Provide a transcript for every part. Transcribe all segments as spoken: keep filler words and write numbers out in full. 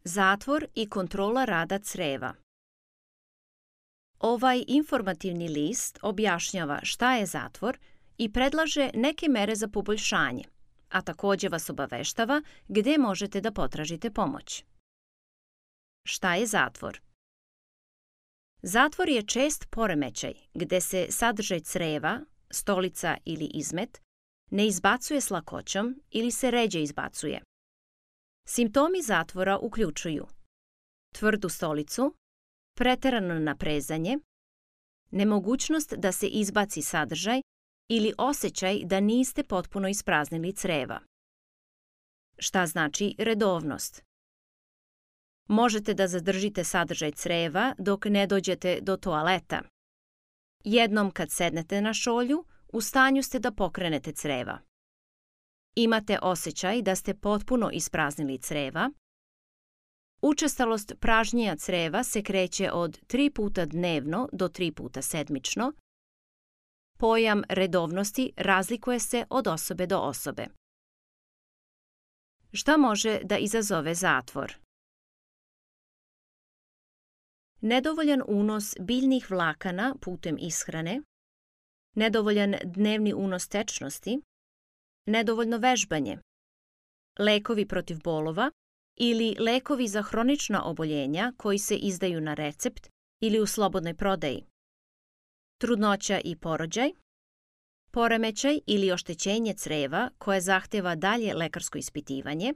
Zatvor i kontrola rada crijeva. Ovaj informativni list objašnjava šta je zatvor i predlaže neke mere za poboljšanje, a također vas obaveštava gdje možete da potražite pomoć. Šta je zatvor? Zatvor je čest poremećaj gdje se sadržaj crijeva, stolica ili izmet ne izbacuje s lakoćom ili se ređe izbacuje. Simptomi zatvora uključuju tvrdu stolicu, preterano naprezanje, nemogućnost da se izbaci sadržaj ili osjećaj da niste potpuno ispraznili crijeva. Šta znači redovnost? Možete da zadržite sadržaj crijeva dok ne dođete do toaleta. Jednom kad sednete na šolju, u stanju ste da pokrenete crijeva. Imate osjećaj da ste potpuno ispraznili crijeva. Učestalost pražnjenja crijeva se kreće od tri puta dnevno do tri puta sedmično. Pojam redovnosti razlikuje se od osobe do osobe. Šta može da izazove zatvor? Nedovoljan unos biljnih vlakana putem ishrane, nedovoljan dnevni unos tečnosti, nedovoljno vežbanje, lekovi protiv bolova ili lekovi za hronična oboljenja koji se izdaju na recept ili u slobodnoj prodaji, trudnoća i porođaj, poremećaj ili oštećenje crijeva koje zahtjeva dalje lekarsko ispitivanje,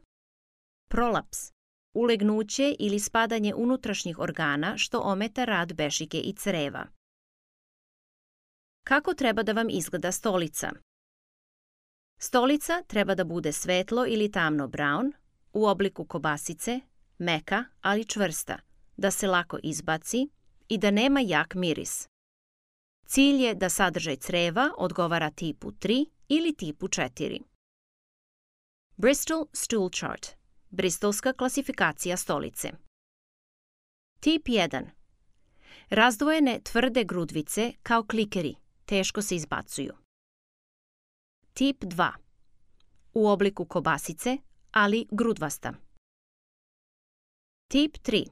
prolaps, ulegnuće ili spadanje unutrašnjih organa što ometa rad bešike i crijeva. Kako treba da vam izgleda stolica? Stolica treba da bude svetlo ili tamno brown, u obliku kobasice, meka, ali čvrsta, da se lako izbaci i da nema jak miris. Cilj je da sadržaj crijeva odgovara tipu tri ili tipu četiri. Bristol Stool Chart, Bristolska klasifikacija stolice. Tip jedan. Razdvojene tvrde grudvice kao klikeri, teško se izbacuju. Tip dva. U obliku kobasice, ali grudvasta. Tip tri.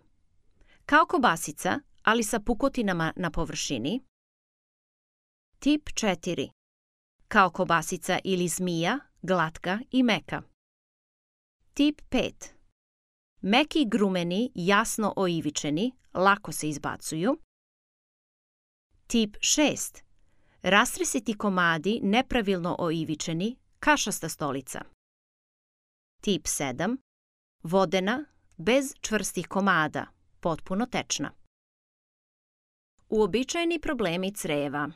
Kao kobasica, ali sa pukotinama na površini. Tip četiri. Kao kobasica ili zmija, glatka i meka. Tip pet. Meki grumeni, jasno oivičeni, lako se izbacuju. Tip šest. Rastresiti komadi, nepravilno oivičeni, kašasta stolica. Tip sedam. Vodena, bez čvrstih komada, potpuno tečna. Uobičajeni problemi crijeva.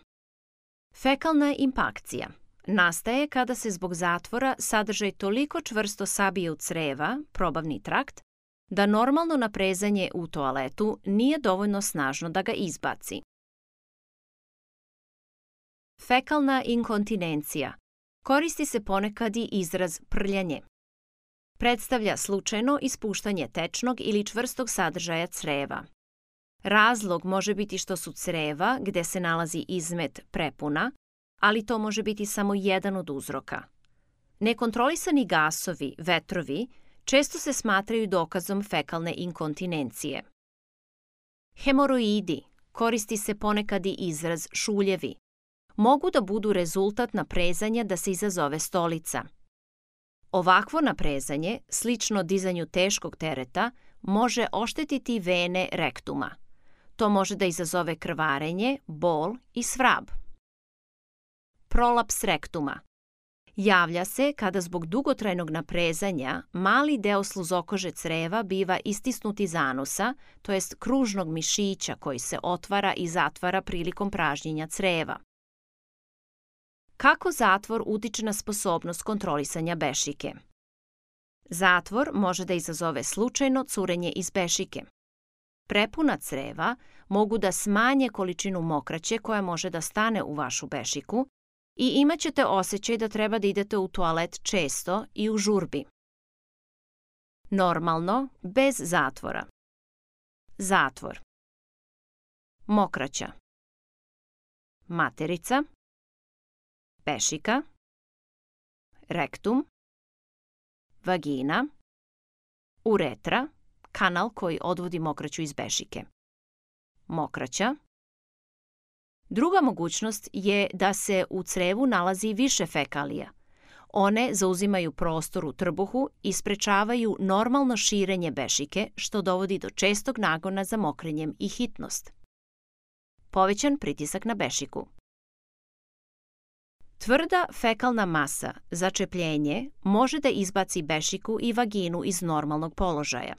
Fekalna impakcija nastaje kada se zbog zatvora sadržaj toliko čvrsto sabije u crijeva, probavni trakt, da normalno naprezanje u toaletu nije dovoljno snažno da ga izbaci. Fekalna inkontinencija. Koristi se ponekad i izraz prljanje. Predstavlja slučajno ispuštanje tečnog ili čvrstog sadržaja crijeva. Razlog može biti što su crijeva, gdje se nalazi izmet, prepuna, ali to može biti samo jedan od uzroka. Nekontrolisani gasovi, vetrovi, često se smatraju dokazom fekalne inkontinencije. Hemoroidi, koristi se ponekad i izraz šuljevi, mogu da budu rezultat naprezanja da se izazove stolica. Ovakvo naprezanje, slično dizanju teškog tereta, može oštetiti vene rektuma. To može da izazove krvarenje, bol i svrab. Prolaps rektuma. Javlja se kada zbog dugotrajnog naprezanja mali deo sluzokože crijeva biva istisnut iz anusa, to jest kružnog mišića koji se otvara i zatvara prilikom pražnjenja crijeva. Kako zatvor utiče na sposobnost kontrolisanja bešike? Zatvor može da izazove slučajno curenje iz bešike. Prepuna crijeva mogu da smanje količinu mokraće koja može da stane u vašu bešiku i imat ćete osjećaj da treba da idete u toalet često i u žurbi. Normalno, bez zatvora. Zatvor. Mokraća. Materica. Bešika. Rektum. Vagina. Uretra, kanal koji odvodi mokraću iz bešike. Mokraća. Druga mogućnost je da se u crevu nalazi više fekalija. One zauzimaju prostor u trbuhu i sprečavaju normalno širenje bešike, što dovodi do čestog nagona za mokrenjem i hitnost. Povećan pritisak na bešiku. Tvrda fekalna masa, začepljenje, može da izbaci bešiku i vaginu iz normalnog položaja.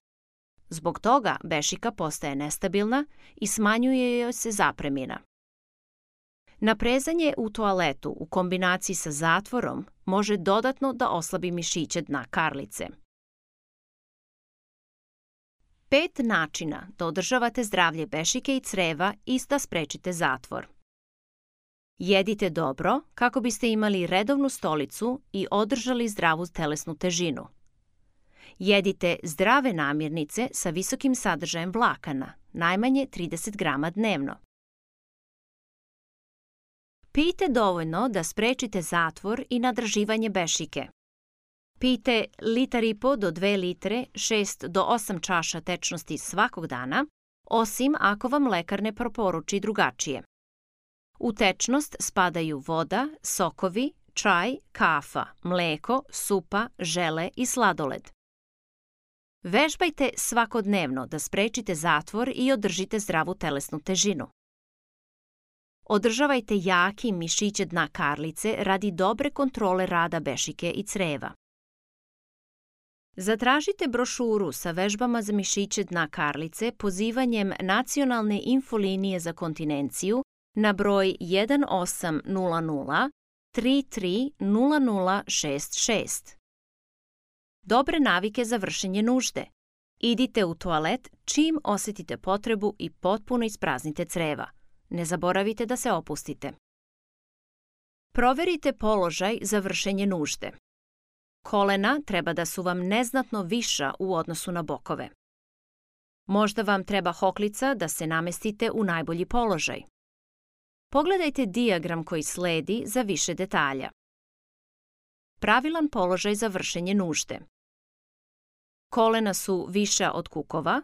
Zbog toga bešika postaje nestabilna i smanjuje joj se zapremina. Naprezanje u toaletu u kombinaciji sa zatvorom može dodatno da oslabi mišiće dna karlice. Pet načina da održavate zdravlje bešike i creva i da sprečite zatvor. Jedite dobro kako biste imali redovnu stolicu i održali zdravu telesnu težinu. Jedite zdrave namirnice sa visokim sadržajem vlakana, najmanje trideset grama dnevno. Pijte dovoljno da sprečite zatvor i nadraživanje bešike. Pijte litar i po do dve litre, šest do osam čaša tečnosti svakog dana, osim ako vam lekar ne preporuči drugačije. U tečnost spadaju voda, sokovi, čaj, kafa, mleko, supa, žele i sladoled. Vežbajte svakodnevno da sprečite zatvor i održite zdravu telesnu težinu. Održavajte jaki mišiće dna karlice radi dobre kontrole rada bešike i creva. Zatražite brošuru sa vežbama za mišiće dna karlice pozivanjem Nacionalne infolinije za kontinenciju na broj jedan osam nula nula tri tri nula nula šest šest. Dobre navike za vršenje nužde. Idite u toalet čim osetite potrebu i potpuno ispraznite creva. Ne zaboravite da se opustite. Proverite položaj za vršenje nužde. Kolena treba da su vam neznatno viša u odnosu na bokove. Možda vam treba hoklica da se namestite u najbolji položaj. Pogledajte dijagram koji sledi za više detalja. Pravilan položaj za vršenje nužde. Kolena su viša od kukova.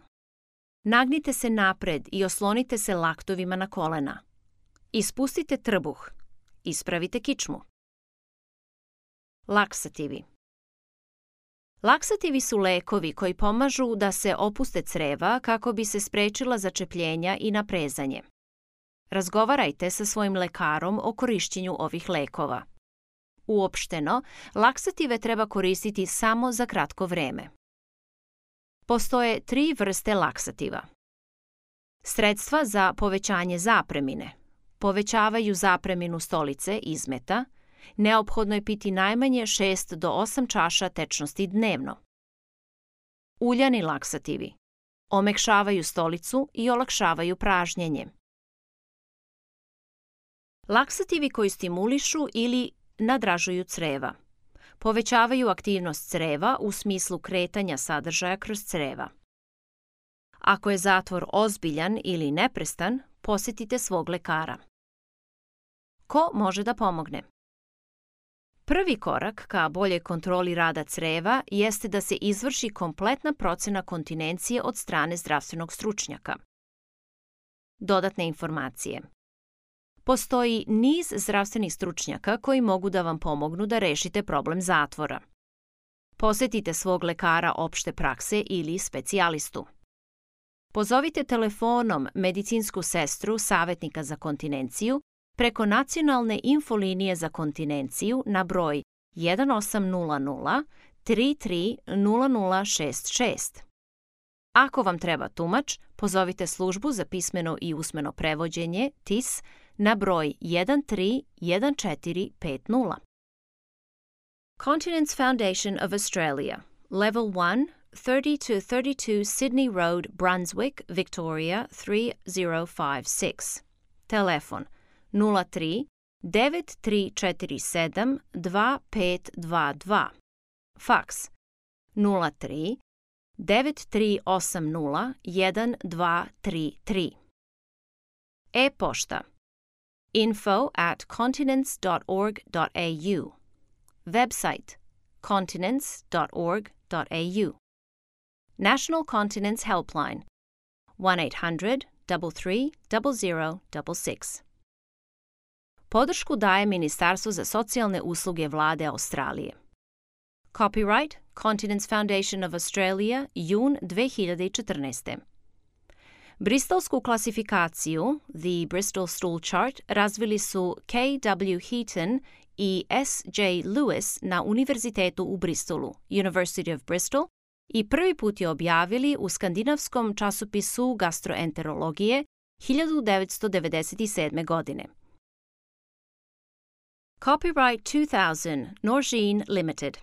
Nagnite se napred i oslonite se laktovima na kolena. Ispustite trbuh. Ispravite kičmu. Laksativi. Laksativi su lekovi koji pomažu da se opuste creva kako bi se sprečila začepljenja i naprezanje. Razgovarajte sa svojim lekarom o korišćenju ovih lekova. Uopšteno, laksative treba koristiti samo za kratko vreme. Postoje tri vrste laksativa. Sredstva za povećanje zapremine. Povećavaju zapreminu stolice, izmeta. Neophodno je piti najmanje šest do osam čaša tečnosti dnevno. Uljani laksativi. Omekšavaju stolicu i olakšavaju pražnjenje. Laksativi koji stimulišu ili nadražuju creva. Povećavaju aktivnost creva u smislu kretanja sadržaja kroz creva. Ako je zatvor ozbiljan ili neprestan, posjetite svog lekara. Ko može da pomogne? Prvi korak ka boljoj kontroli rada creva jeste da se izvrši kompletna procena kontinencije od strane zdravstvenog stručnjaka. Dodatne informacije. Postoji niz zdravstvenih stručnjaka koji mogu da vam pomognu da rešite problem zatvora. Posjetite svog lekara opšte prakse ili specijalistu. Pozovite telefonom medicinsku sestru savjetnika za kontinenciju preko Nacionalne infolinije za kontinenciju na broj jedan osam nula nula tri tri nula nula šest šest. Ako vam treba tumač, pozovite službu za pismeno i usmeno prevođenje T I S na broj jedan tri jedan četiri pet nula. Continence Foundation of Australia, Level one, thirty to thirty-two Sydney Road, Brunswick, Victoria three zero five six. Telefon nula tri devet tri četiri sedam dva pet dva dva. Faks nula tri devet tri osam nula jedan dva tri tri. E-pošta info at continence dot org dot a u. Website continence dot org dot a u. National Continence Helpline one eight hundred, three three zero zero six six. Podršku daje Ministarstvo za socijalne usluge Vlade Australije. Copyright Continence Foundation of Australia, jun dve hiljade četrnaeste. Bristolsku klasifikaciju, The Bristol Stool Chart, razvili su K W Heaton i S J Lewis na Univerzitetu u Bristolu, University of Bristol, i prvi put je objavili u skandinavskom časopisu gastroenterologije hiljadu devetsto devedeset sedme. godine. Copyright two thousand, Norgine Limited.